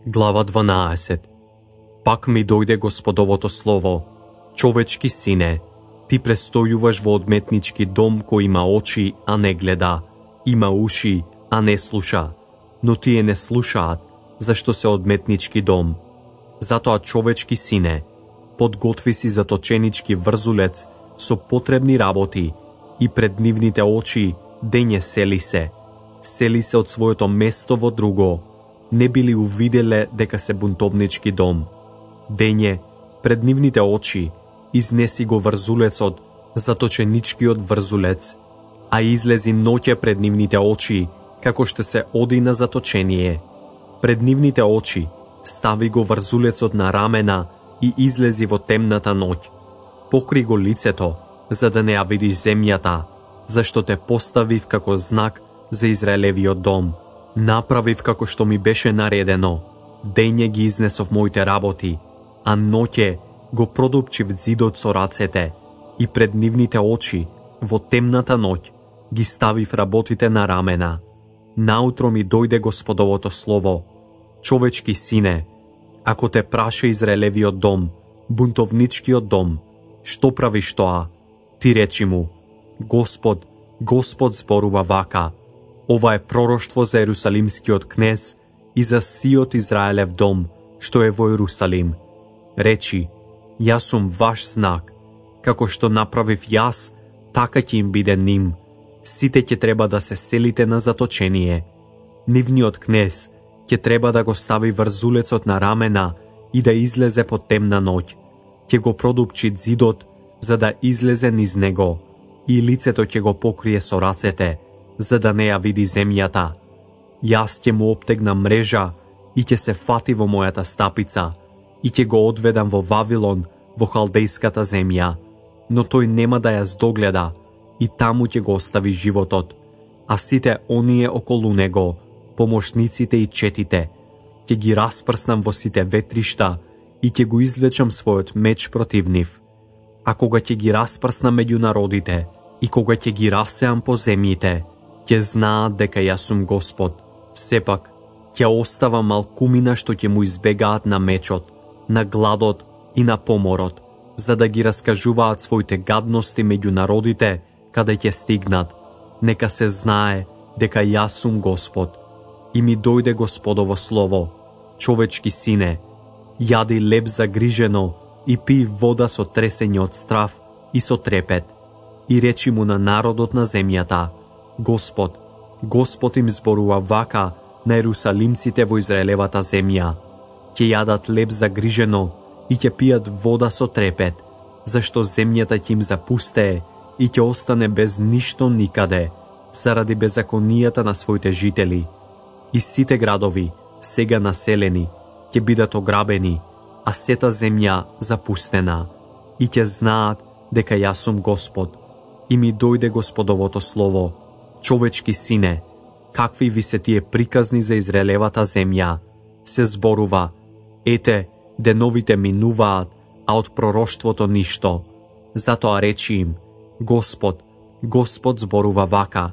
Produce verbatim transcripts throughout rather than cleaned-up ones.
Глава дванаесет. Пак ми дојде Господовото слово: човечки сине, ти престојуваш во одметнички дом кој има очи, а не гледа, има уши, а не слуша, но тие не слушаат, зашто се одметнички дом. Затоа, човечки сине, подготви си заточенички врзулец со потребни работи и пред нивните очи дење сели се. Сели се од своето место во друго, не били увиделе дека се бунтовнички дом. Дење, пред нивните очи, изнеси го врзулецот, заточеничкиот врзулец, а излези ноќе пред нивните очи, како што се оди на заточение. Пред нивните очи стави го врзулецот на рамена и излези во темната ноќ. Покри го лицето, за да не ја видиш земјата, зашто те поставив како знак за Израелевиот дом. Направив како што ми беше наредено. Дење ги изнесов моите работи, а ноќе го продупчив зидот со рацете и пред нивните очи, во темната ноќ, ги ставив работите на рамена. Наутро ми дојде Господовото слово: човечки сине, ако те праша Израелевиот дом, бунтовничкиот дом, што правиш тоа? Ти речи му: Господ, Господ зборува вака: ова е пророштво за Ерусалимскиот кнез и за сиот Израелев дом, што е во Ерусалим. Речи: јас сум ваш знак, како што направив јас, така ќе им биде ним. Сите ќе треба да се селите на заточение. Нивниот кнез ќе треба да го стави врзулецот на рамена и да излезе по темна ноќ. Ќе го продупчи зидот, за да излезе низ него, и лицето ќе го покрие со рацете, за да не ја види земјата. Јас ќе му обтегнам мрежа и ќе се фати во мојата стапица и ќе го одведам во Вавилон, во халдејската земја, но тој нема да ја здогледа и таму ќе го остави животот, а сите оние околу него, помошниците и четите, ќе ги распрснам во сите ветришта и ќе го извлечам својот меч против нив. А кога ќе ги распрснам меѓу народите и кога ќе ги расеам по земјите, ќе знаат дека јас сум Господ. Сепак, ќе остава малкумина што ќе му избегаат на мечот, на гладот и на поморот, за да ги раскажуваат своите гадности меѓу народите, каде ќе стигнат. Нека се знае дека јас сум Господ. И ми дојде Господово слово: човечки сине, јади леб загрижено и пи вода со тресење од страв и со трепет, и речи му на народот на земјата: Господ, Господ им зборува вака на ерусалимците во Израелевата земја: ќе јадат леб загрижено и ќе пијат вода со трепет, зашто земјата ќе им запустее и ќе остане без ништо никаде, заради беззаконијата на своите жители. И сите градови, сега населени, ќе бидат ограбени, а сета земја запустена, и ќе знаат дека јас сум Господ. И ми дојде Господовото слово: човечки сине, какви ви се тие приказни за Израелевата земја? Се зборува: ете, деновите минуваат, а од пророштвото ништо. Затоа речи им: Господ, Господ зборува вака: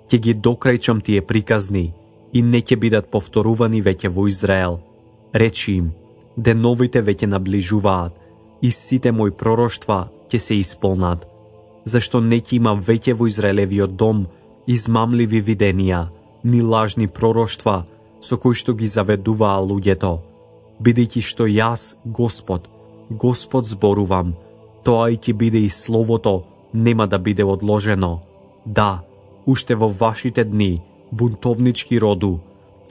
ќе ги докрајчам тие приказни и не ќе бидат повторувани веќе во Израел. Речи им: деновите веќе наближуваат и сите мои пророштва ќе се исполнат, зашто не ќе има веќе во Израелевиот дом измамливи виденија, ни лажни пророштва со кои што ги заведуваа луѓето. Бидејќи што јас, Господ, Господ зборувам, тоа и ќе биде и словото, нема да биде одложено. Да, уште во вашите дни, бунтовнички роду,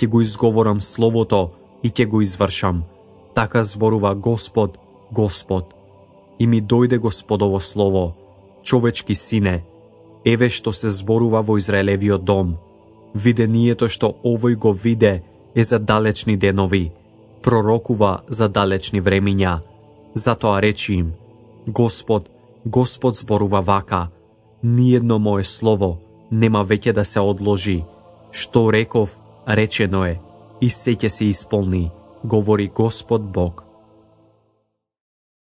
ќе го изговорам словото и ќе го извршам. Така зборува Господ, Господ. И ми дојде Господово слово: човечки сине, еве што се зборува во Израелевиот дом. Видението што овој го виде е за далечни денови, пророкува за далечни времиња. Затоа речи им: Господ, Господ зборува вака: ниедно мое слово нема веќе да се одложи. Што реков, речено е, и се ќе се исполни, говори Господ Бог.